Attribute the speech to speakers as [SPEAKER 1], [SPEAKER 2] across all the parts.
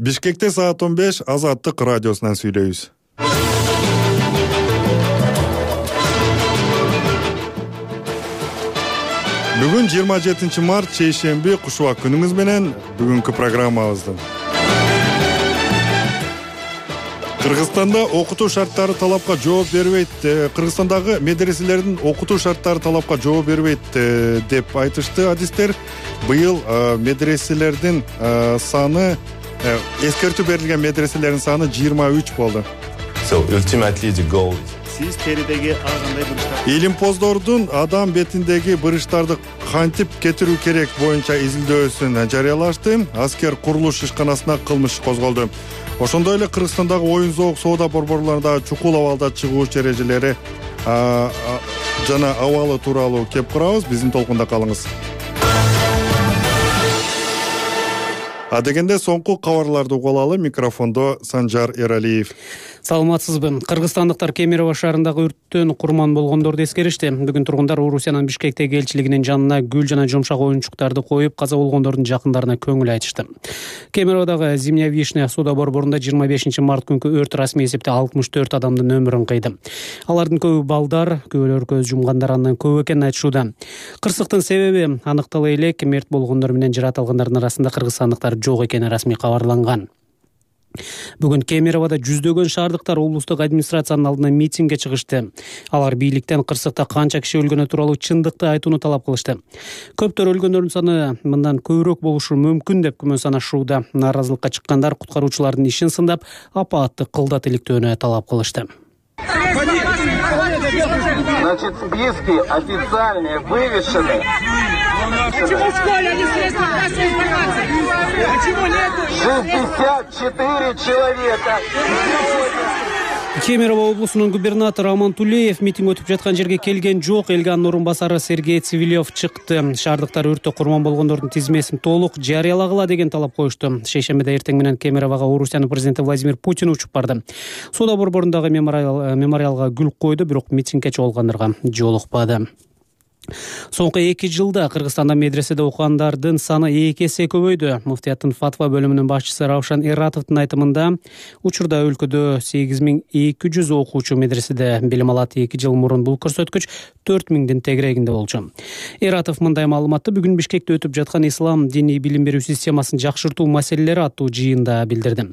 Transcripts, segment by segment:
[SPEAKER 1] Бишкекте саат 15 Азаттык радиосунан сүйлөйбүз. Бүгүн 27 март шейшемби кушубак күнүңүз менен бүгүнкү программабызды. Кыргызстанда окутуу шарттары талапка жооп бербейт. Кыргызстандагы медреселердин окутуу шарттары талапка жооп бербейт деп айтышты адистер. Быйыл медреселердин саны эскертүү берилген медреселердин саны 23 болду.
[SPEAKER 2] So ultimately the goal
[SPEAKER 3] Сиз теридеги ар кандай буручтар
[SPEAKER 1] Илимпоздордун адам бетиндеги буручтарды кантип кетирүү керек боюнча изилдөөсүн жарыялашты. Аскер курулуш ишканасына кылмыш козголду. Ошондой эле Кыргызстандагы оюн-зоок соода борборлорунда чукул абалда чыгуучу эрежелери жана абалы тууралуу кеп карабыз. Биздин толкунда калыңыз. Адегенде соңку кабарларды угуп алалы. Микрофондо Санжар Эралиев.
[SPEAKER 4] Саламатсызбы. Кыргызстандыктар Кемерово шаарындагы өрттөн курман болгондорду эскеришти. Бүгүн тургундар Орусиянын Бишкектеги элчилигинин жанына гүл жана жумшак оюнчуктарды коюп, каза болгондордун жакындарына көңүл айтышты. Кемероводагы Зимняя Вишня суда борборунда 25 март күнкү өрт расмий эсепте 64 адамдын өмүрүн кыйды. Алардын көбү балдар, көбөлөр көз жумгандар андан көп экенин айтышууда. Кырсыктын себеби аныктала элек, мерт болгондор менен жаратылгандардын арасында кыргызстандыктар жок экени расмий кабарланган. Бүгүн Кемероводо жүздөгөн шаардыктар облустук администрациянын алдына митингге чыгышты. Алар бийликтен кырсыкта канча киши өлгөнү тууралуу чындыкты айтууну талап кылышты. Көптөр өлгөндөрдүн саны мындан көбүрөөк болушу мүмкүн деп күмөн санашууда. Нааразылыкка чыккандар куткаруучулардын ишин сындап, апаатты кылдат иликтөөнү талап кылышты.
[SPEAKER 5] Значит, списки официальные вывешены.
[SPEAKER 6] Почему в школе не средства массовой информации? Почему нет?
[SPEAKER 5] 64 человека.
[SPEAKER 4] Кемерово облусунун губернатору Аман Тулеев митинг өтүп жаткан жерге келген жок. Элге анын орун басары Сергей Цивилев чыкты. Шаардыктар өрттө курман болгондордун тизмесин толук жарыялагыла деген талап коюшту. Шейшембиде эртең менен Кемерового Орусиянын президенти Владимир Путин учуп барды. Соода борборундагы мемориалга гүл койду, бирок митингге чогулгандарга жолукпады. Соңку 2 жылда Кыргызстанда медреседе окугандардын саны 2 эсе көбөйдү. Муфтияттын фатва бөлүмүнүн башчысы Раушан Эратовдун айтымында, учурда өлкөдө 8200 окуучу медреседе билим алат. 2 жыл мурун бул көрсөткүч 4000дин тегерегинде болчу. Эратов мындай маалыматты бүгүн Бишкекте өтүп жаткан ислам диний билим берүү системасын жакшыртуу маселелери аттуу жыйында билдирди.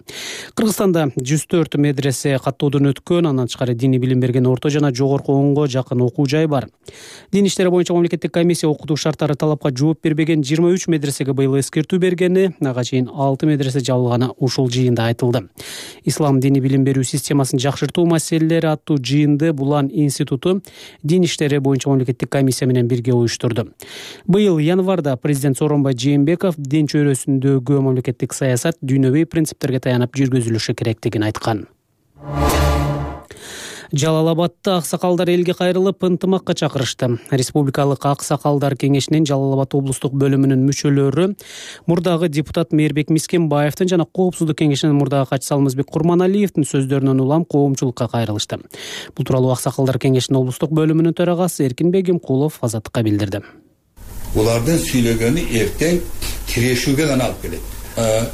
[SPEAKER 4] Кыргызстанда 104 медресе каттоодон өткөн, андан тышкары диний билим берген орто жана жогорку 10го жакын окуу жай бар. Дин иштери боюнча мамлекеттик комиссия окутуу шарттары талапка жооп бербеген 23 медресеге быйыл эскертүү бергени, ага чейин 6 медресе жабылганы ушул жыйында айтылды. Ислам дини билим берүү системасын жакшыртуу маселелери аттуу жыйынды Булан институту дин иштери боюнча мамлекеттик комиссия менен бирге уюштурду. Быйыл январда президент Сооронбай Жээнбеков дин чөйрөсүндөгү мамлекеттик саясат дүйнөбүй принциптерге таянып жүргүзүлүшү керектигин айткан. Жалал-Абадта аксакалдар элге кайрылып ынтымакка чакырышты. Республикалык аксакалдар кеңешинин Жалал-Абад облустук бөлүмүнүн мүчөлөрү мурдагы депутат Мээрбек Мискенбаевдин жана Коопсуздук кеңешинин мурдагы катчысы Алмазбек Курманалиевдин сөздөрүнөн улам коомчулукка кайрылышты. Бул тууралуу аксакалдар кеңешинин облустук бөлүмүнүн төрагасы Эркин Бегимкулов Азаттыкка билдирди.
[SPEAKER 7] Булардын сүйлөгөнү эртең тирешүүгө гана алып келет.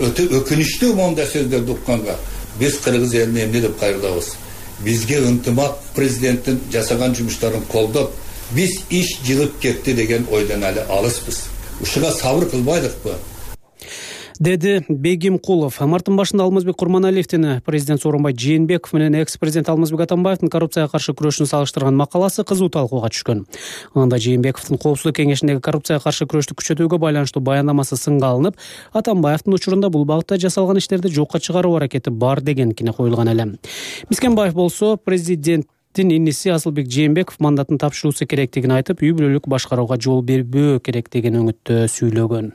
[SPEAKER 7] Өтө өкүнүчтүү моундай сөздөрдү укканга биз кыргыз элине эмне деп кайрылабыз? Бизге ынтымак президенттин жасаган жумуштарын колдоп, биз иш жылып кетти деген ойдон эле алыспыз. Ушуга сабыр кылбайлыкпы?
[SPEAKER 4] Деди Бегимкулов. Марттын башында Алмазбек Курманалиевдин президент Сооронбай Жээнбеков менен экс-президент Алмазбек Атамбаевдин коррупцияга каршы күрөшүн салыштырган макаласы кызуу талкууга түшкөн. Анда Жээнбековдун Коопсуздук кеңешиндеги коррупцияга каршы күрөштү күчөтүүгө байланыштуу баяндамасы сынга алынып, Атамбаевдин учурунда бул багытта жасалган иштерди жокко чыгаруу аракети бар деген кине коюлган эле. Мискенбаев болсо президенттин иниси Асылбек Жээнбеков мандатын тапшыруусу керектигин айтып, үй бүлөлүк башкарууга жол бербөө керектигин өңүттө сүйлөгөн.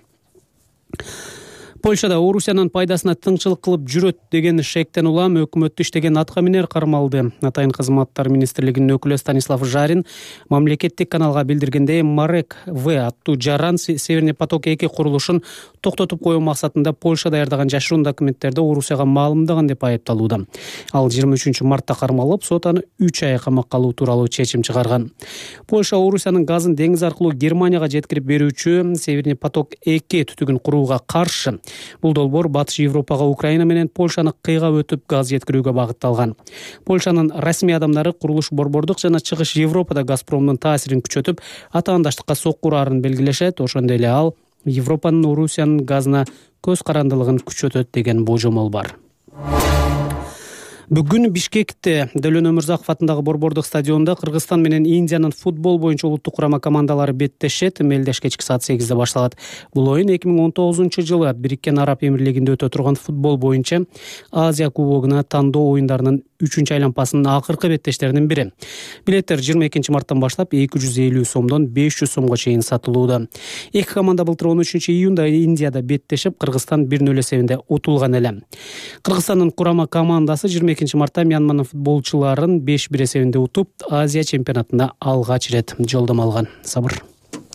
[SPEAKER 4] Польшада Орусиянын пайдасына тыңчылык кылып жүрөт деген шектен улам өкмөттү иштеген аткаминер кармалды. Атайын кызматтар министрлигинин өкүлү Станислав Жарин мамлекеттик каналга билдиргендей, Марек В аттуу жаран Северный поток 2 курулушун токтотуп коюу максатында Польша даярдаган жашыруун документтерди Орусияга маалымдаган деп айыпталууда. Ал 23 мартта кармалып, сот аны 3 ай камакка алуу тууралуу чечим чыгарган. Польша Орусиянын газын деңиз аркылуу Германияга жеткирип берүүчү Северный поток 2 түтүгүн курууга каршы. Бул долбоор Батыш Европага Украина менен Польшаны кыйгап өтүп газ жеткирүүгө багытталган. Польшанын расмий адамдары курулуш борбордук жана Чыгыш Европада Газпромдун таасирин күчөтүп, атаандаштыкка сокку урарын белгилешет. Ошондой эле ал Европанын Орусиянын газына көз карандылыгын күчөтөт деген божомол бар. Бүгүн Бишкекте Дөлөн Өмүрзаков атындагы борбордук стадиондо Кыргызстан менен Индиянын футбол боюнча улуттук курама командалары беттешет. Мелдеш кечки саат 8-де башталат. Бул оюн 2019-жылы Бириккен Араб Эмирлигинде өтө турган футбол боюнча Азия кубогуна тандоо оюндарынын 3-айланпасынын акыркы беттештеринин бири. Билеттер 22 марттан баштап 250 сомдон 500 сомго чейин сатылууда. Эки команда былтыр 13-июнда Индияда беттешип, Кыргызстан 1-0 эсебинде утулган эле. Кыргызстандын курама командасы 22 мартта Мьянманын футболчуларын 5-1 эсебинде утуп, Азия чемпионатында алгач ирет жолдомо алган. Сабыр.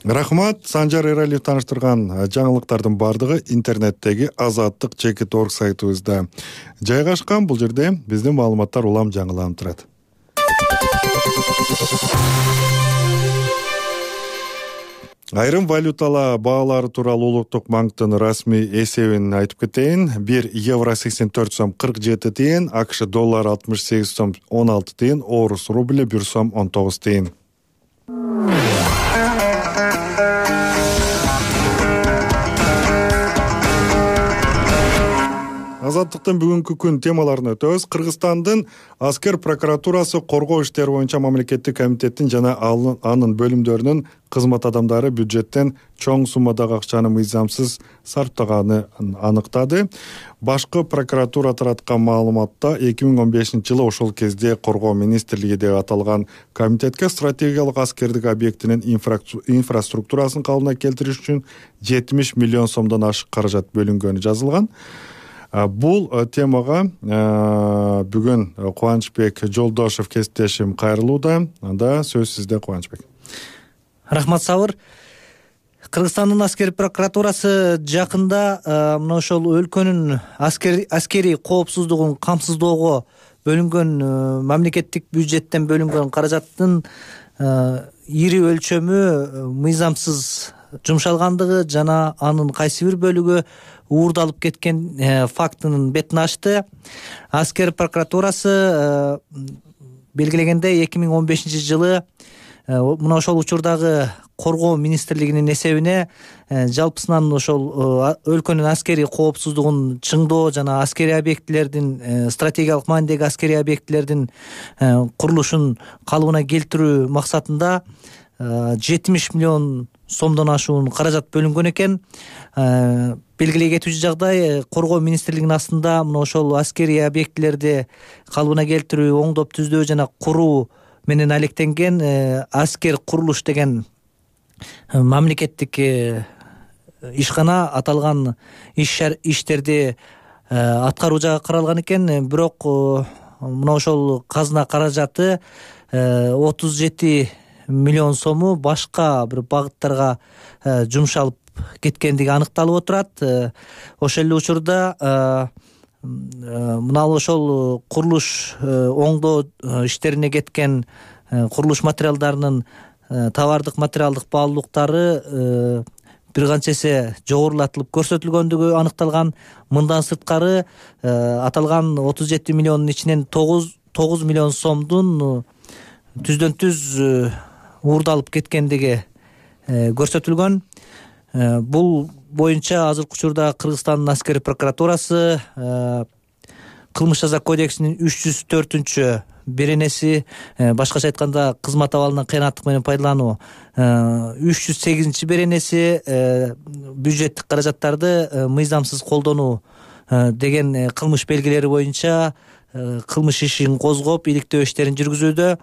[SPEAKER 1] Рахмат. Санжар Эралиев тааныштырган жаңылыктардын бардыгы интернеттеги azattik.org сайтыбызда жайгашкан. Бул жерде биздин маалыматтар улам жаңыланып турат. Айрым валюталар баалары тууралуу улуттук банктын расмий эсебин айтып кетейин. 1 евро 84 сом 47 тиен, АКШ доллары 68 сом 16 тиен, орус рубли 1 сом 19 тиен. Азаттыктын бүгүнкү күн темаларын өтөбүз. Кыргызстандын аскер прокуратурасы коргоо иштери боюнча мамлекеттик комитеттин жана анын бөлүмдөрүнүн кызмат адамдары бюджеттен чоң суммадагы акчаны мыйзамсыз сарптаганын аныктады. Башкы прокуратура тараткан маалыматта 2015-жылы ошол кезде коргоо министрлиги деп аталган комитетке стратегиялык аскердик объектинин инфраструктурасын калыбына келтириш үчүн 70 миллион сомдон ашык каражат бөлүнгөнү жазылган. Бул темага бүгүн Кубанычбек Жолдошев кесиптешим кайрылууда. Анда сөз сизде, Кубанычбек.
[SPEAKER 8] Рахмат, Сабыр. Кыргызстандын аскери прокуратурасы жакында мына ошол өлкөнүн аскери коопсуздугун камсыздоого бөлүнгөн мамлекеттик бюджеттен бөлүнгөн каражаттын ири өлчөмү мыйзамсыз жумшалгандыгы жана анын кайсы бир бөлүгү уурдалып кеткен фактынын бетин ачты. Аскер прокуратурасы белгилегендей 2015-жылы мына ошол учурдагы коргоо министрлигинин эсебине жалпысынан ошол өлкөнүн аскери коопсуздугун чыңдоо жана аскери объектилердин стратегиялык маанидеги аскери объектилердин курулушун калыбына келтирүү максатында 70 миллион сомдон ашуун каражат бөлүнгөн экен. Белгилей кетүүчү жагдай, коргоо министрлигинин астында мына ошол аскери объектилерди калыбына келтирүү, оңдоп түздөө жана куруу менен алектенген аскер курулуш деген мамлекеттик ишкана аталган иштерди аткаруу жагы каралган экен. Бирок мына ошол казына каражаты 37 миллион сому башка бир багыттарга жумшалып кеткендиги аныкталып отурат. Ошол эле учурда мына ошол курулуш оңдоо иштерине кеткен курулуш материалдарынын товардык материалдык баалуулуктары бир канча эсе жогорулатылып көрсөтүлгөндүгү аныкталган. Мындан сырткары аталган 37 миллиондун ичинен 9 миллион сомдун түздөн түз уурдалып кеткендиги көрсөтүлгөн. Бул боюнча азыркы учурда Кыргызстандын аскери прокуратурасы кылмыш жаза кодексинин 304 беренеси, башкача айтканда кызмат абалынан кыянаттык менен пайдалануу 308 беренеси бюджеттик каражаттарды мыйзамсыз колдонуу деген кылмыш белгилери боюнча кылмыш ишин козгоп иликтөө иштерин жүргүзүүдө.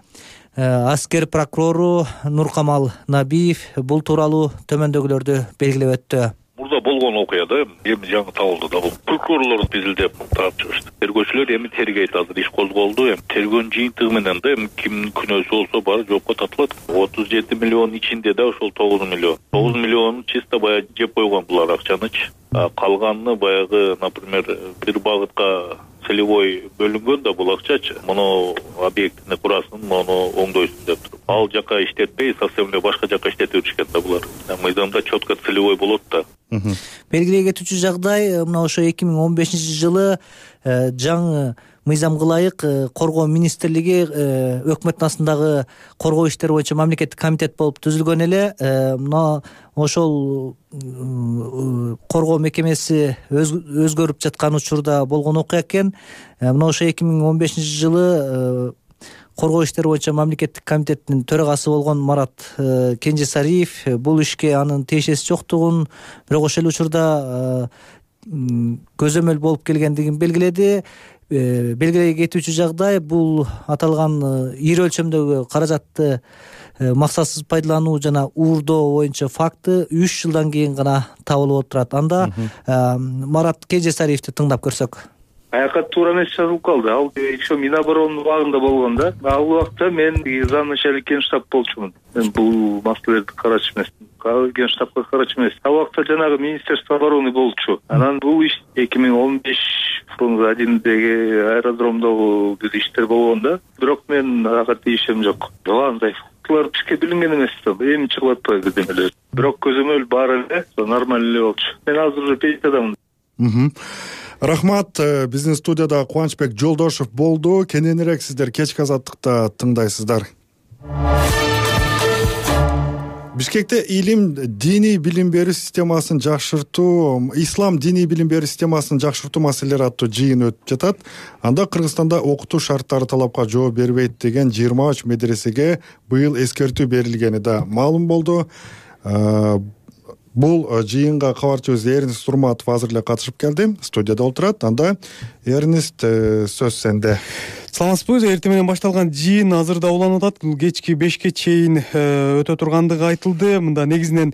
[SPEAKER 8] Аскер прокурору Нуркамал Набиев бул тууралуу төмөндөгүлөрдү белгилеп өттү.
[SPEAKER 9] Мурда болгон окуяда эми жаңы табылды да, бул прокурорлор изилдеп тарап чыгышты. Тергөөчүлөр эми тергейт, азыр иш козголду. Эми тергөөнүн жыйынтыгы менен да эми кимдин күнөөсү болсо баары жоопко тартылат. 37 миллион ичинде да ошол 9 миллион чисто баягы жеп койгон булар акчанычы. Калганын баягы, например, бир багытка целевой бөлүнгөн да бул акчачы. Муну объектини курасын, муну оңдойсун деп туруп. ал жака иштетпей совсем эле башка жака иштетип жүрүшкен да булар. Мыйзамда четко целевой болот да.
[SPEAKER 8] Белгилей кетүүчү жагдай мына ошо 2015-жылы жаңы мыйзамга ылайык коргоо министрлиги өкмөттүн астындагы коргоо иштери боюнча мамлекеттик комитет болуп түзүлгөн эле. Мына ошол коргоо мекемеси өзгөрүп жаткан учурда болгон окуя экен. Мына ошо 2015-жылы коргоо иштери боюнча мамлекеттик комитеттин төрагасы болгон Марат Кенжесариев бул ишке анын тиешеси жоктугун, бирок ошол учурда көзөмөл болуп келгендигин белгиледи. Белгилей кетүүчү жагдай бул аталган ири өлчөмдөгү каражатты максатсыз пайдалануу жана уурдоо боюнча факты 3 жылдан кийин гана табылып отурат. Анда Марат Кенжесариевди тыңдап көрсөк.
[SPEAKER 10] Аяка туура эмес жазылып калды. Ал еще Миноборонун убагында болгон да. Ал убакта мен замначальник генштаб болчумун. Мен бул маселелерди карачу эмесмин. Генштабка карачу эмес. Ал убакта жанагы Министерство обороны болчу. Анан бул иш 2015 фронт-1деги аэродромдогу иштер болгон да. Бирок мен ага тийишем жок. Андай фактылар бизге билинген эмес да. Эми чыгып атпайбы демелер. Бирок көзөмөл бар эле, нормаль эле болчу. Мен азыр уже пенсиядамын.
[SPEAKER 1] Рахмат. Биздин студияда Кубанычбек Жолдошев болду. Кененирээк сиздер кечки азаттыкта тыңдайсыздар. Бишкекте диний билим берүү системасын жакшыртуу, ислам диний билим берүү системасын жакшыртуу маселелери аттуу жыйын өтүп жатат. Анда Кыргызстанда окутуу шарттары талапка жооп бербейт деген 23 медресеге быйыл эскертүү берилгени да маалым болду. Бул жыйынга кабарчыбыз Эрнест Урматов азыр эле катышып келди. Студияда отурат. Анда Эрнест, сөз сенде.
[SPEAKER 11] Саламатсызбы? Эртең менен башталган жыйын азырда уланып атат. Кечки 5ке чейин өтө тургандыгы айтылды. Мында негизинен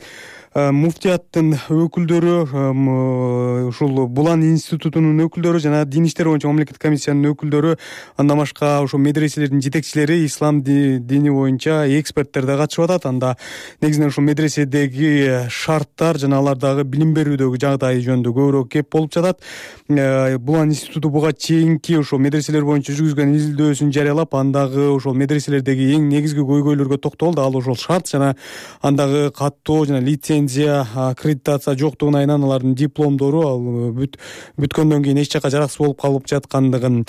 [SPEAKER 11] муфтияттын өкүлдөрү, ушул Булан институтунун өкүлдөрү жана Дин иштери боюнча мамлекеттик комиссиянын өкүлдөрү, андан башка ошо медреселердин жетекчилери, ислам дини боюнча эксперттер да катышып атат. Анда негизинен ушул медреседеги шарттар жана алардагы билим берүүдөгү жагдай жөнүндө көбүрөөк кеп болуп жатат. Булан институту буга чейинки ошо медреселер боюнча жүргүзгөн изилдөөсүн жарыялап, андагы ошол медреселердеги эң негизги көйгөйлөргө токтолду. Ал ошол шарт жана андагы каттоо жана лицензия, аккредитация жоктугун айынан алардын дипломдору ал бүткөндөн кийин эч жака жараксыз болуп калып жаткандыгын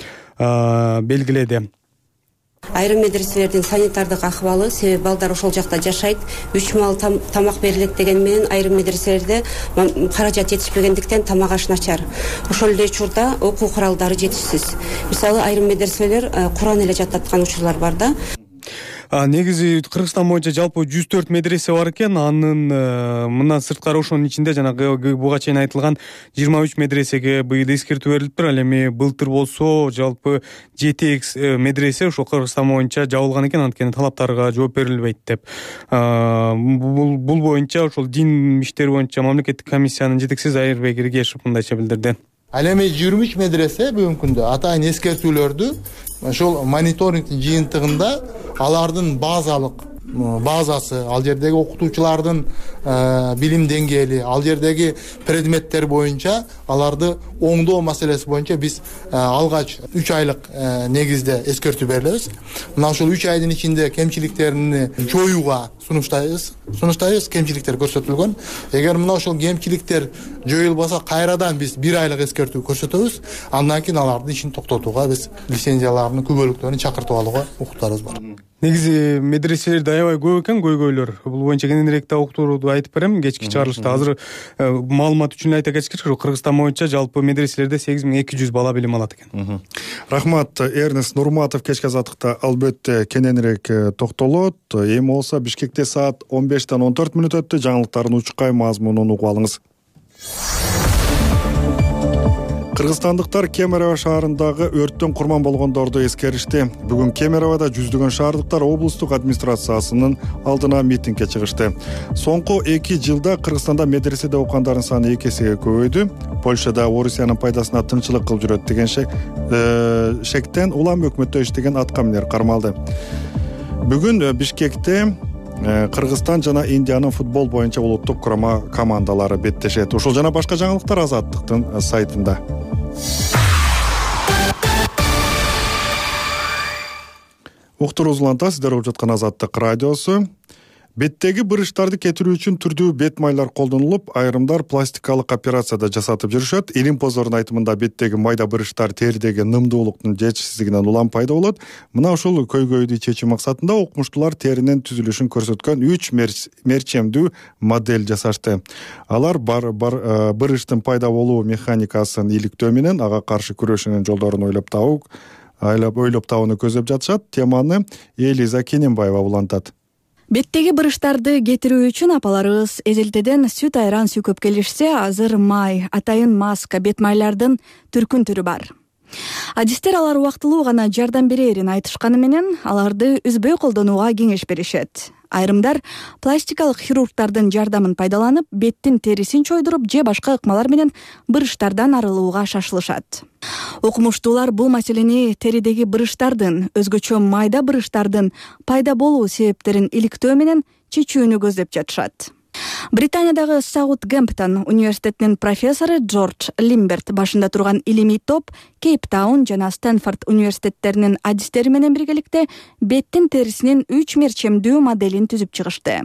[SPEAKER 11] белгиледи.
[SPEAKER 12] Айрым медреселердин санитардык акыбалы, себеби балдар ошол жакта жашайт, 3 маал тамак берилет деген менен айрым медреселерде каражат жетишпегендиктен тамак аш начар. Ошол эле учурда окуу куралдары жетишсиз. Мисалы айрым медреселер Куран эле жаттаткан учурлар бар да.
[SPEAKER 11] Негизи Кыргызстан боюнча жалпы 104 медресе бар экен. Анын мындан сырткары ошонун ичинде жанагы буга чейин айтылган 23 медресеге быйыл эскертүү берилиптир. Ал эми былтыр болсо жалпы 7 медресе ошо Кыргызстан боюнча жабылган экен, анткени талаптарга жооп берилбейт деп. Бул боюнча ошол дин иштери боюнча мамлекеттик комиссиянын жетекчиси Айырбек Иргешев мындайча билдирди.
[SPEAKER 13] Ал эми 23 медресе бүгүнкү күндө атайын эскертүүлөрдү ошол мониторингдин жыйынтыгында алардын базасы, ал жердеги окутуучулардын билим деңгээли, ал жердеги предметтер боюнча аларды оңдоо маселеси боюнча биз алгач 3 айлык негизде эскертүү берилебиз. Мына ушул 3 айдын ичинде кемчиликтерди жоюуга сунуштайбыз, кемчиликтер көрсөтүлгөн. Эгер мына ошол кемчиликтер жоюлбаса, кайрадан биз 1 айлык эскертүү көрсөтөбүз. Андан кийин алардын ишин токтотууга, биз лицензияларынын күбөлүктөрүн чакыртып алууга укуктарыбыз бар.
[SPEAKER 11] Негизи медреселерде аябай көп экен көйгөйлөр. Бул боюнча кененирээк да уктурууду айтып берем кечки чыгарылышта. Азыр маалымат үчүн айта кетсек, Кыргызстан боюнча жалпы медреселерде 8200 бала билим алат экен.
[SPEAKER 1] Рахмат. Эрнест Нурматов кечки азаттыкта албетте кененирээк токтолот. Эми болсо Бишкекте саат 15-тен 14 мүнөт өттү. Жаңылыктардын учкай мазмунун угуп алыңыз. Кыргызстандыктар Кемерово шаарындагы өрттөн курман болгондорду эскеришти. Бүгүн Кемероводо жүздөгөн шаардыктар облустук администрациясынын алдына митингге чыгышты. Соңку 2 жылда Кыргызстанда медреседе окугандардын саны 2 эсеге көбөйдү. Польшада Орусиянын пайдасына тынчылык кылып жүрөт деген шектен улам өкмөттө иштеген аткаминер кармалды. Бүгүн Бишкекте Кыргызстан жана Индиянын футбол боюнча улуттук курама командалары беттешет. Ушул жана башка жаңылыктар Азаттыктын сайтында. Уктуруңуз уланта, сиздер угуп жаткан Азаттык радиосу. Беттеги бырыштарды кетирүү үчүн түрдүү бет майлар колдонулуп, айрымдар пластикалык операцияда жасатып жүрүшөт. Илимпоздордун айтымында беттеги майда бырыштар теридеги нымдуулуктун жетишсиздигинен улам пайда болот. Мына ушул көйгөйдү чечүү максатында окумуштуулар теринин түзүлүшүн көрсөткөн 3 мерчемдүү модель жасашты. Алар бырыштын пайда болуу механикасын иликтөө менен ага каршы күрөшүүнүн жолдорун ойлоп табууну көздөп жатышат. Теманы Элиза Кененбаева улантат.
[SPEAKER 14] Беттеги бырыштарды кетирүү үчүн апаларыбыз эзелтеден сүт айран сүйкөп келишсе, азыр май, атайын маска, бет майлардын түркүн түрү бар. Адистер алар убактылуу гана жардам берерин айтышканы менен, аларды үзбөй колдонууга кеңеш беришет. Айрымдар пластикалык хирургдардын жардамын пайдаланып, беттин терисин чойдуруп же башка ыкмалар менен бырыштардан арылууга шашылышат. Окумуштуулар бул маселени теридеги бырыштардын, өзгөчө майда бырыштардын пайда болуу себептерин иликтөө менен чечүүнү көздөп жатышат. Британиядагы Саутгемптон университетинин профессору Джордж Лимберт башында турган илимий топ Кейптаун жана Стэнфорд университеттеринин адистери менен биргеликте беттин терисинин 3 мерчемдүү моделин түзүп чыгышты.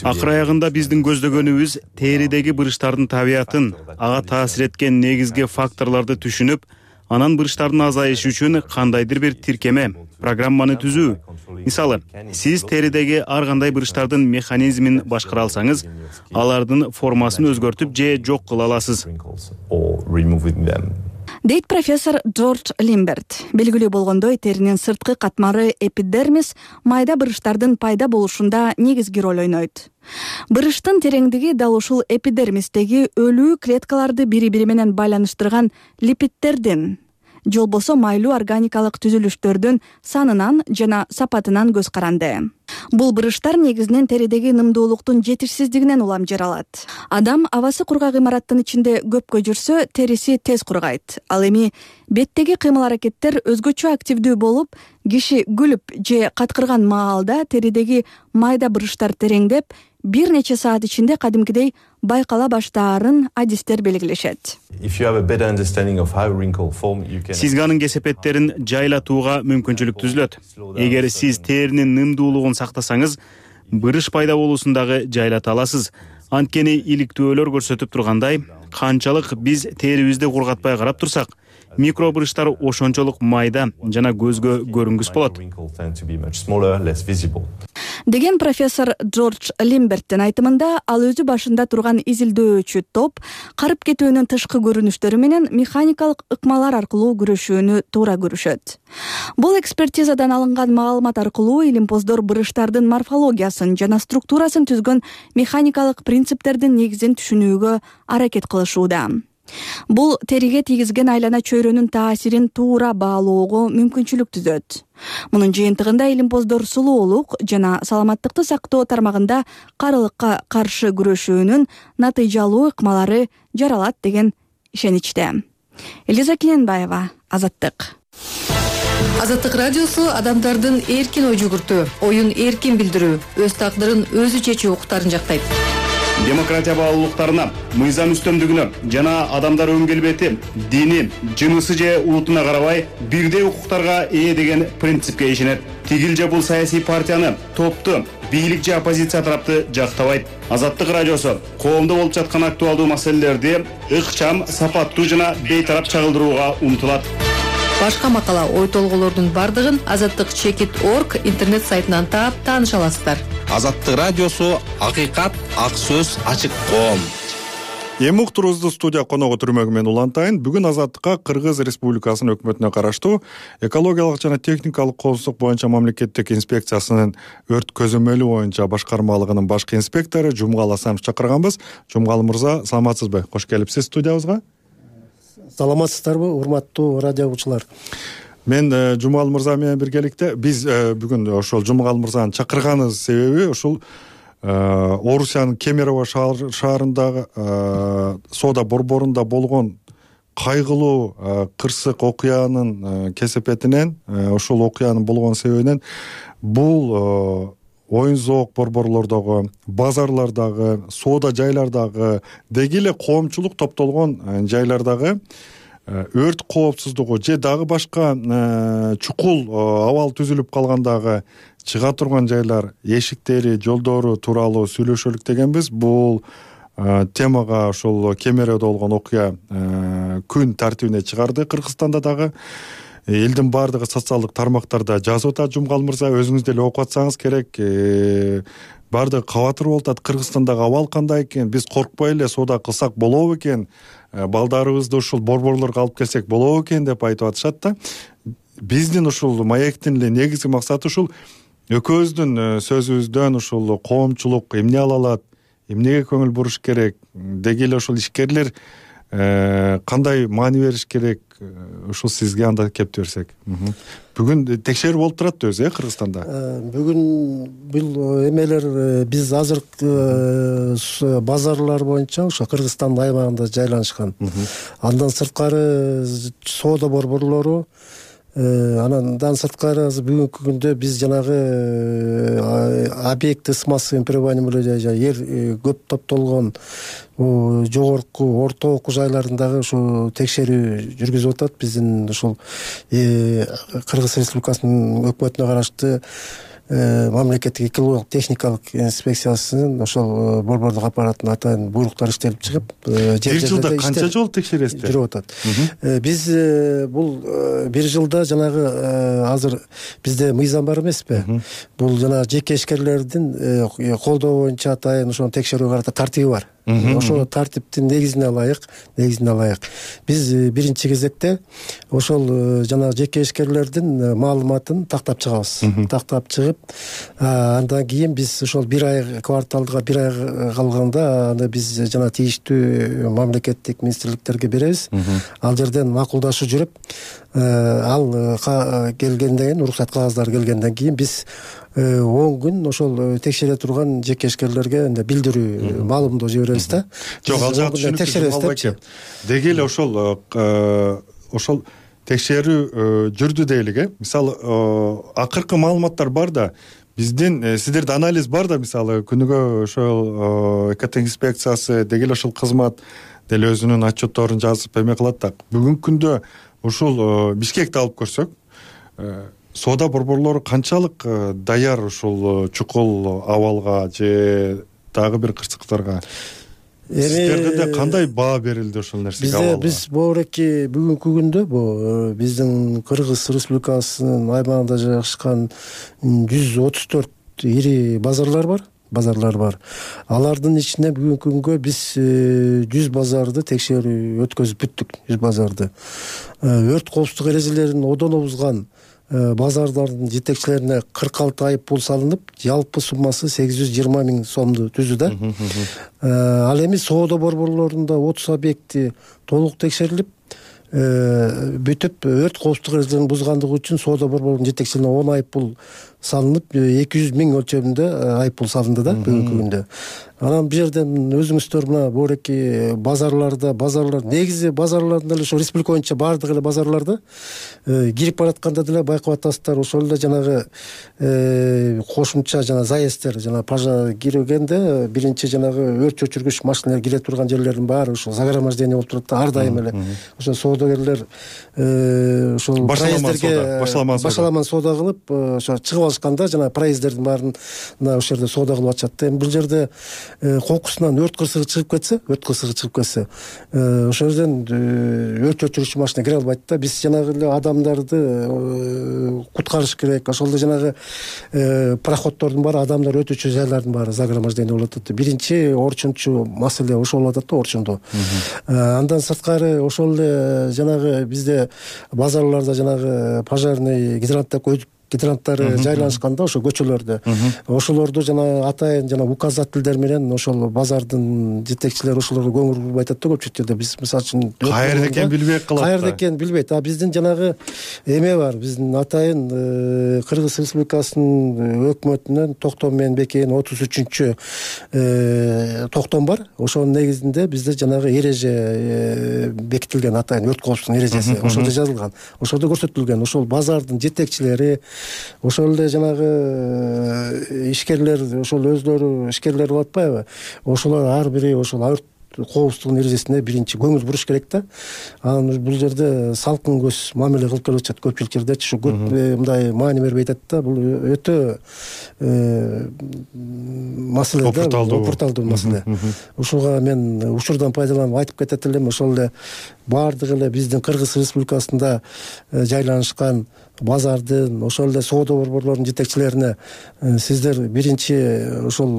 [SPEAKER 3] Акыр аягында биздин көздөгөнүбүз теридеги бырыштардын табиятын, ага таасир эткен негизги факторлорду түшүнүп, анан бырыштардын азайышы үчүн кандайдыр бир тиркеме, программаны түзүү. Мисалы, сиз теридеги ар кандай бырыштардын механизмин башкара алсаңыз, алардын формасын өзгөртүп же жок кыла аласыз.
[SPEAKER 14] Дейт профессор Джордж Лимберт. Белгилүү болгондой, теринин сырткы катмары эпидермис майда бырыштардын пайда болушунда негизги роль ойнойт. Бырыштын тереңдиги дал ушул эпидермистеги өлүү клеткаларды бири-бири менен байланыштырган липидтердин, же болбосо майлуу органикалык түзүлүштөрдүн санынан жана сапатынан көз каранды. Бул бырыштар негизинен теридеги нымдуулуктун жетишсиздигинен улам жаралат. Адам абасы кургак имараттын ичинде көпкө жүрсө, териси тез кургайт. Ал эми беттеги кыймыл-аракеттер өзгөчө активдүү болуп, киши күлүп же каткырган маалда теридеги майда бырыштар тереңдеп, бир нече саат ичинде кадимкидей байкала баштаарын адистер белгилешет.
[SPEAKER 3] Сизге анын кесепеттерин жайлатууга мүмкүнчүлүк түзүлөт. Эгер сиз теринин нымдуулугун сактасаңыз, бырыш пайда болуусундагы жайлата аласыз. Анткени иликтөөлөр көрсөтүп тургандай, канчалык биз терибизди кургатпай карап турсак, микробырыштар ошончолук майда жана көзгө көрүнгүс болот.
[SPEAKER 14] Деген профессор Джордж Лимберттин айтымында, ал өзү башында турган изилдөөчү топ карып кетүүнүн тышкы көрүнүштөрү менен механикалык ыкмалар аркылуу күрөшүүнү туура көрүшөт. Бул экспертизадан алынган маалымат аркылуу илимпоздор бырыштардын морфологиясын жана структурасын түзгөн механикалык принциптердин негизин түшүнүүгө аракет кылышууда. Бул териге тийгизген айлана чөйрөнүн таасирин туура баалоого мүмкүнчүлүк түзөт. Мунун жыйынтыгында илимпоздор сулуулук жана саламаттыкты сактоо тармагында карылыкка каршы күрөшүүнүн натыйжалуу ыкмалары жаралат деген ишеничте. Элиза Кененбаева, Азаттык.
[SPEAKER 15] Азаттык радиосу адамдардын эркин ой жүгүртүү, оюн эркин билдирүү, өз тагдырын өзү чечүү укуктарын жактайт.
[SPEAKER 3] Демократия баалуулуктарына, мыйзам үстөмдүгүнө жана адамдар өн келбети, дини, жынысы же улутуна карабай бирдей укуктарга ээ деген принципке ишенет. Тигил же бул саясий партияны, топту, бийлик же оппозиция тарапты жактабайт. Азаттык радиосу коомдо болуп жаткан актуалдуу маселелерди ыкчам, сапаттуу жана бейтарап чагылдырууга умтулат.
[SPEAKER 15] Башка макала, ой толгоолордун бардыгын azattik.org интернет сайтынан таап тааныша аласыздар.
[SPEAKER 16] Азаттык радиосу акыйкат, ак сөз, ачык коом.
[SPEAKER 1] Эми уктуруубузду студия коногу түрмөгү менен улантайын. Бүгүн Азаттыкка Кыргыз Республикасынын өкмөтүнө караштуу экологиялык жана техникалык коопсуздук боюнча мамлекеттик инспекциясынын өрт көзөмөлү боюнча башкармалыгынын башкы инспектору Жумгал Асанов чакырганбыз. Жумгал мырза, саламатсызбы? Кош келипсиз студиябызга.
[SPEAKER 17] Саламатсыздарбы, урматтуу радио угуучулар?
[SPEAKER 1] Мен Жумгал мырза менен биргеликте биз бүгүн ошол Жумгал мырзаны чакырганыбыз себеби ушул Орусиянын Кемерово шаарындагы соода борборунда болгон кайгылуу кырсык окуянын кесепетинен, ушул окуянын болгон себебинен бул оюн зоок борборлордогу, базарлардагы, соода жайлардагы, деги эле коомчулук топтолгон жайлардагы өрт коопсуздугу же дагы башка чукул абал түзүлүп калгандагы чыга турган жайлар, эшиктери, жолдору тууралуу сүйлөшөлүк дегенбиз. Бул темага ошол Кемерөөдө болгон окуя күн тартибине чыгарды. Кыргызстанда дагы элдин баардыгы социалдык тармактарда жазып атат. Жумгал мырза, өзүңүз деле окуп атсаңыз керек. Баардыгы кабатыр болуп атат. Кыргызстандагы абал кандай экен? Биз коркпой эле соода кылсак болобу экен? Балдарыбызды ушул борборлорго алып келсек болобу экен деп айтып атышат да. Биздин ушул маектин эле негизги максаты ушул экөөбүздүн сөзүбүздөн ушул коомчулук эмне ала алат, эмнеге көңүл буруш керек, деги эле ушул ишкерлер кандай маани бериш керек, ушул сизге анда кепти берсек. Бүгүн текшерүү болуп турат өзү Кыргызстанда.
[SPEAKER 17] Бүгүн бул эмелер биз азыркы базарлар боюнча ошо Кыргызстандын аймагында жайланышкан. Андан сырткары соода борборлору, андан сырткары бүгүнкү күндө биз жанагы объекты с массовым пребыванием жер көп топтолгон жогорку орто окуу жайларындагы ушу текшерүү жүргүзүп атат. Биздин ушул Кыргыз Республикасынын өкмөтүнө караштуу мамлекеттик экологиялык техникалык инспекциясынын ошол борбордук аппаратынын атайын буйруктары иштелип чыгып,
[SPEAKER 1] бир жылда канча жолу текшересиздер?
[SPEAKER 17] Жүрүп атат. Биз бул бир жылда жанагы азыр бизде мыйзам бар эмеспи? Бул жанагы жеке ишкерлердин колдоо боюнча атайын ошону текшерүүгө карата тартиби бар. Ошол тартиптин негизине алайык. Биз биринчи кезекте ошол жанагы жеке ишкерлердин маалыматын тактап чыгабыз. Тактап чыгып, андан кийин биз ошол бир ай, кварталга бир ай калганда анда биз жана тийиштүү мамлекеттик министрликтерге беребиз. Ал жерден макулдашуу жүрүп, ал келгенден кийин, уруксат кагаздары келгенден кийин биз 10 күн ошол текшере турган жеке ишкерлерге билдирүү, маалымдоо жиберебиз да.
[SPEAKER 1] Жок, ал жагы түшүнүктүү. Деги эле ошол текшерүү жүрдү дейлик, Мисалы, акыркы маалыматтар бар да, биздин сиздерде анализ бар да, мисалы күнүгө ошол экоинспекциясы деги эле ошол кызмат деле өзүнүн отчетторун жазып эме кылат да. Бүгүнкү күндө ушул Бишкекти алып көрсөк, соода борборлору канчалык даяр ушул чукул абалга же дагы бир кырсыктарга? Сиздерде кандай баа берилди ошол нерсеге?
[SPEAKER 17] Биз боореки бүгүнкү күндө биздин Кыргыз Республикасынын аймагында жайгашкан 134 ири базарлар бар. Алардын ичинде бүгүнкү күнгө биз 100 базарды текшерүү өткөзүп бүттүк. 100 базарды. Өрт коопсуздук эрежелерин одоно бузган базарлардын жетекчилерине 46 айып пул салынып, жалпы суммасы 820 000 сомду түздү да. Ал эми соода борборлорунда 30 объекти толук текшерилип, бүтүп өрт коопсуздук эрежелерин бузгандыгы үчүн соода борборунун жетекчилине 10 айып пул салынып, 200 000 өлчөмүндө айып пул салынды да бүгүнкү күндө. Анан бул жерден өзүңүздөр мына боореки базарлар негизи базарлардын эле ошо республика боюнча баардык эле базарларда кирип баратканда деле байкап атасыздар, ошол эле жанагы кошумча заезддер, пажа киргенде биринчи өрт өчүргүч машиналар кире турган жерлердин баары ошол загромождение болуп турат да, ар дайым эле. Ошо соодагерлер ошол башаламан соода кылып, ошо чыгып алышканда проезддердин баарын ошол жерде соода кылып атышат да. Эми бул жерде кокусунан өрт кырсыгы чыгып кетсе, ошол жерден өрт өчүрүүчү машина кире албайт да. Биз жанагы эле адамдарды куткарыш керек. Ошол эле жанагы проходдордун баары, адамдар өтүүчү жайлардын баары загромождение болуп атат. Биринчи орчунчу маселе ошол болуп атат да, орчундоо. Андан сырткары ошол эле жанагы бизде базарларда жанагы пожарный гидранттары жайланышканда ошо көчөлөрдө, ошолорду атайын указательдер менен ошол базардын жетекчилери ошолорго көңүл бурбай атат да. Көпчүлүк жерде биз мисалы үчүн
[SPEAKER 1] каерде экенин билбей калат.
[SPEAKER 17] Каерде экенин билбейт. Биздин жанагы эме бар, биздин атайын Кыргыз Республикасынын өкмөтүнөн токтом менен бекиген 33-чү токтом бар. Ошонун негизинде бизде жанагы эреже бекитилген, атайын өрт коопсуздук эрежеси ошолдо жазылган. Ошолдо көрсөтүлгөн ошол базардын жетекчилери, ошол эле жанагы ишкерлер, ошол өзлөрү ишкерлер болуп атпайбы? Ошолор ар бири ошол коопсуздугунун эрежесине биринчи көңүл буруш керек да. Анан бул жерде салкын көз мамиле кылып келип атышат көпчүлүк жердечи. Ушу көп мындай маани бербей атат да. Бул өтө маселе да, опурталдуу маселе. Ушуга мен учурдан пайдаланып айтып кетет элем. Ошол эле баардык эле биздин Кыргыз Республикасында жайланышкан базардын, ошол эле соода борборлорунун жетекчилерине сиздер биринчи ошол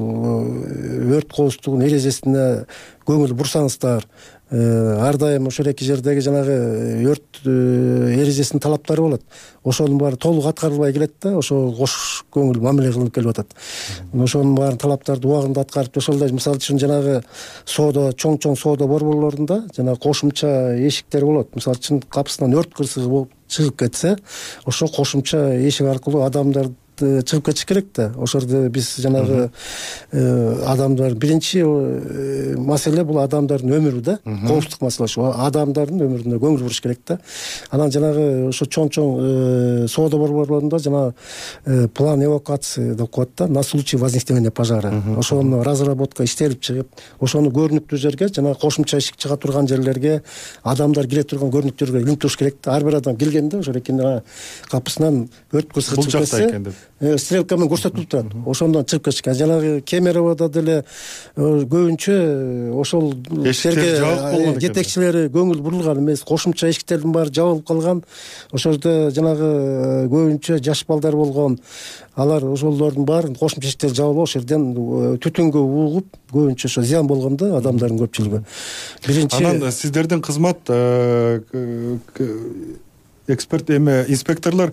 [SPEAKER 17] өрт коопсуздугунун эрежесине көңүл бурсаңыздар, ар дайым ошол эки жердеги жанагы өрт эрежесинин талаптары болот. Ошонун баары толук аткарылбай келет да, ошого кош көңүл мамиле кылынып келип атат. Ошонун баарын талаптарды убагында аткарып, ошол эле мисалы үчүн жанагы соода, чоң соода борборлорунда жанагы кошумча эшиктер болот. Мисалы үчүн капысынан өрт кырсыгы болуп чыгып кетсе, ошо кошумча эшик аркылуу адамдар чыгып кетиш керек да. Ошорду биз жанагы адамдар биринчи маселе бул адамдардын өмүрү да. Коопсуздук маселе ошо адамдардын өмүрүнө көңүл буруш керек да. Анан жанагы ошо чоң соода борборлорунда жана план эвакуации деп коет да, на случай возникновения пожара. Ошону разработка иштелип чыгып, ошону көрүнүктүү жерге, жана кошумча эшик чыга турган жерлерге, адамдар кире турган көрүнүктүү жерге илинип туруш керек да. Ар бир адам келгенде ошо экен капысынан өрт кырсыгы чыгып кетсе, стрелка менен көрсөтүлүп турат. Ошондон чыгып кетишкен. Жанагы Кемероводо деле көбүнчө ошол жерге жетекчилери көңүл бурулган эмес. Кошумча эшиктердин баары жабылып калган. Ошол жерде жанагы көбүнчө жаш балдар болгон. Алар ошолордун баарын кошумча эшиктер жабылып, ошол жерден түтүнгө угуп, көбүнчө ошо зыян болгон да адамдардын көпчүлүгү. Биринчи
[SPEAKER 1] анан сиздердин кызмат эксперт инспекторлор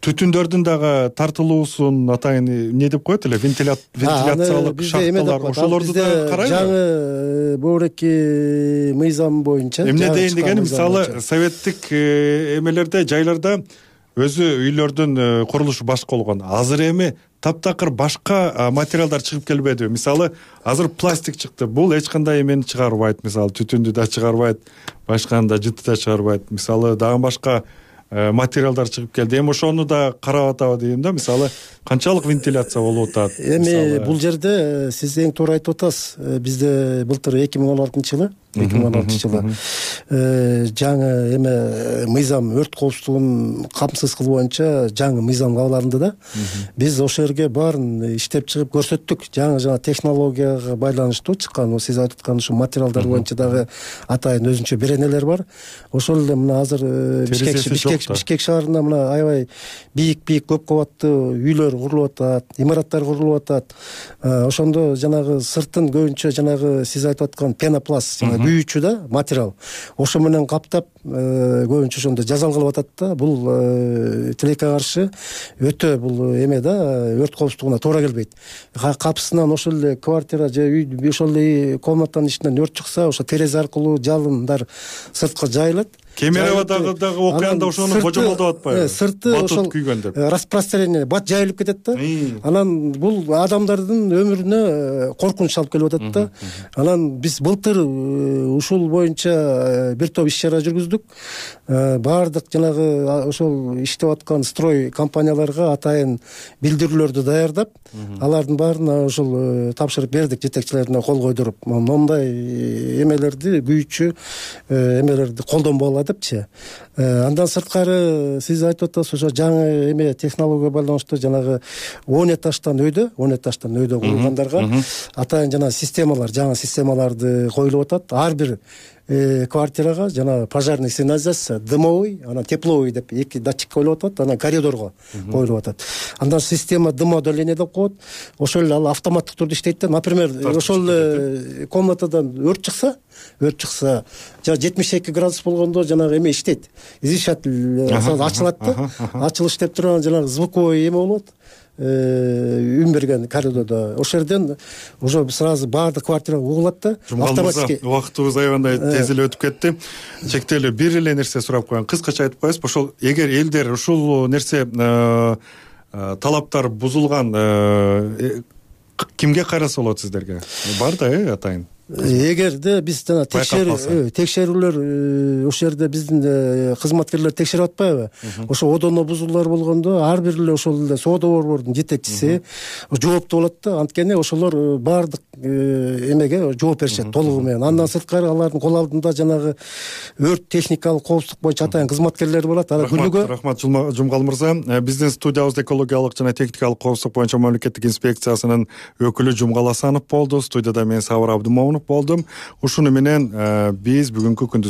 [SPEAKER 1] түтүндөрдүн дагы тартылуусун атайын эмне деп коет эле, вентиляциялык шахталар, ошолорду да карайбы?
[SPEAKER 17] Жаңы бөбүрөккү мыйзам боюнча
[SPEAKER 1] эмне дейин дегени, мисалы советтик эмелерде, жайларда өзү үйлөрдүн курулушу башка болгон. Азыр эми таптакыр башка материалдар чыгып келбедиби? Мисалы азыр пластик чыкты. Бул эч кандай эмени чыгарбайт, мисалы түтүндү да чыгарбайт, башканы да жытты да чыгарбайт. Мисалы дагы башка материалдар чыгып келди. Эми ошону да карап атабы дейм да. Мисалы канчалык вентиляция болуп атат?
[SPEAKER 17] Эми бул жерде сиз эң туура айтып атасыз. Бизде былтыр 2016-жылы жаңы эме мыйзам, өрт коопсуздугун камсыз кылуу боюнча жаңы мыйзам кабыл алынды да. Биз ошол жерге баарын иштеп чыгып көрсөттүк. Жаңы технологияга байланыштуу чыккан, сиз айтып аткан ушу материалдар боюнча дагы атайын өзүнчө беренелер бар. Ошол эле мына азыр Бишкек шаарында мына аябай бийик көп кабаттуу үйлөр курулуп атат, имараттар курулуп атат. Ошондо жанагы сыртын көбүнчө жанагы сиз айтып аткан пенопласт, күйүүчү да материал. Ошо менен каптап көбүнчө ошондо жазалгылап атат да. Бул тилекке каршы өтө бул эме да, өрт коопсуздугуна туура келбейт. Капысынан ошол эле квартира же үй, ошол эле комнатанын ичинен өрт чыкса, ошо терезе аркылуу жалындар сыртка жайылат.
[SPEAKER 1] Кемероводогу дагы окуяда ошону божомолдоп атпайбы?
[SPEAKER 17] Сырты ошол распространение бат жайылып кетет да. Анан бул адамдардын өмүрүнө коркунуч алып келип атат да. Анан биз былтыр ушул боюнча бир топ иш-чара жүргүздүк. Баардык жанагы ошол иштеп аткан строй компанияларга атайын билдирүүлөрдү даярдап, алардын баарына ошол тапшырып бердик, жетекчилерине кол койдуруп. Мондай эмелерди, күйүүчү эмелерди колдонбогула депчи. Андан сырткары сиз айтып атасыз, ошо жаңы эме технологияга байланыштуу жанагы 10 этаждан өйдө курулгандарга атайын жана системалар, жаңы системаларды коюлуп атат. Ар бир квартирага жана пожарный сигнализация, дымовый, анан тепловый деп эки датчик коюлуп атат, анан коридорго коюлуп атат. Андан система дымоудаление деп коет. Ошол эле ал автоматтык түрдө иштейт да. Например, ошол комнатадан өрт чыкса, жана 72 градус болгондо жанагы эме иштейт. Излучатель ачылат да. Ачылыш деп турган жанагы звуковой эме болот. Үн берген коридордо. Ошол жерден уже сразу баардык квартира угулат да.
[SPEAKER 1] Автоматически. Убактыбыз аябандай тез эле өтүп кетти. Чектелүү бир эле нерсе сурап коеюн. Кыскача айтып коесузбу? Ошол эгер элдер ушул нерсе талаптар бузулган, кимге кайрылса болот сиздерге? Бар да, атайын.
[SPEAKER 17] Эгерде биз жана текшерүүлөр ошол жерде биздин кызматкерлер текшерип атпайбы? Ошо одоно бузуулар болгондо ар бир эле ошол эле соода борбордун жетекчиси жооптуу болот да. Анткени ошолор баардык эмеге жооп беришет толугу менен. Андан сырткары алардын кол алдында жанагы өрт техникалык коопсуздук боюнча атайын кызматкерлер болот. Ана күнүгө
[SPEAKER 1] рахмат Жумгал мырза. Биздин студиябызда экологиялык жана техникалык коопсуздук боюнча мамлекеттик инспекциясынын өкүлү Жумгал Асанов болду. Студияда мен Сабыр Абдымомунов болдум. Ушуну менен биз бүгүнкү күндүз